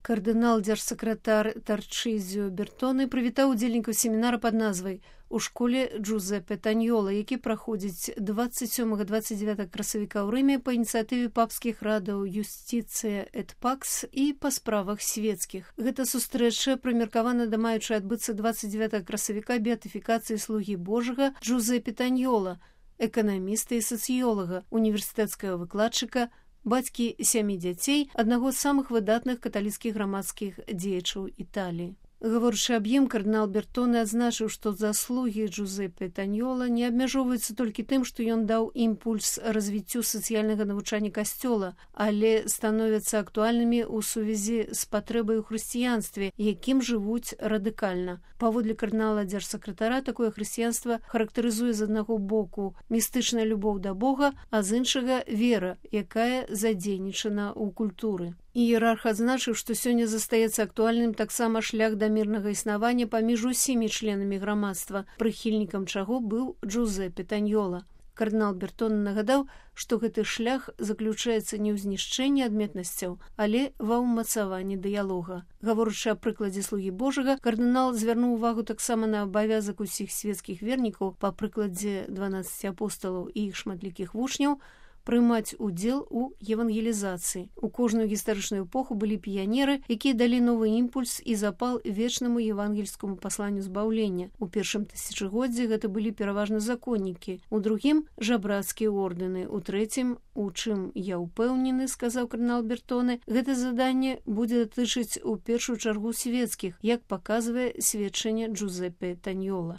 Кардынал дзяржсакратар Тарчызіо Бертоне прывітаў удзельнікаў семінара пад назвай «У школе Джузеппе Таньола», які праходзіць 27-29 красавіка ў Рыме па ініцыятыве папскіх радаў «Юстицыя эт пакс» і па справах свецкіх. Гэта сустрэча прымеркавана да маючай адбыцца 29 красавіка беатыфікацыі слугі Божага Джузеппе Таньола, эканаміста і сацыёлага, універсітэцкага выкладчыка, бацькі 7 дзяцей, аднаго з самых выдатных каталіцкіх грамадскіх дзеячаў Італіі. Гаворачы аб ім, кардынал Бертоне адзначыў, што заслугі Джузеппе Таньола не абмяжоўваюцца толькі тым, што ён даў імпульс развіццю сацыяльнага навучання касцёла, але становяцца актуальнымі ў сувязі з патрэбай у хрысціянстве, якім жывуць радыкальна. Паводле кардынала дзяржсакратара, такое хрысціянства характарызуе з аднаго боку містычная любоў да Бога, а з іншага вера, якая задзейнічана ў культуры. Іерарх адзначыў, што сёння застаецца актуальным таксама шлях да мірнага існавання паміж усімі членамі грамадства, прыхільнікам чаго быў Джузеппе Таньола. Кардынал Бертоне нагадаў, што гэты шлях заключаецца не ў знішчэнні адметнасцяў, але ва ўмацаванні дыялога. Гаворачы аб прыкладзе слугі Божага, кардынал звярнуў увагу таксама на абавязак усіх свецкіх вернікаў па прыкладзе 12 апосталаў і іх шматлікіх вучняў прымаць удзел у евангелізацыі. У кожную гістарычную эпоху былі піянеры, якія далі новы імпульс і запал вечнаму евангельскаму пасланню збаўлення. У першым тысячагоддзі гэта былі пераважна законнікі, у другім жабрацкія ордэны, у трэцім, у чым я ўпэўнены, сказаў кардынал Бертоне, гэта заданне будзе датычыць у першую чаргу свецкіх, як паказвае сведчанне Джузеппе Таньола.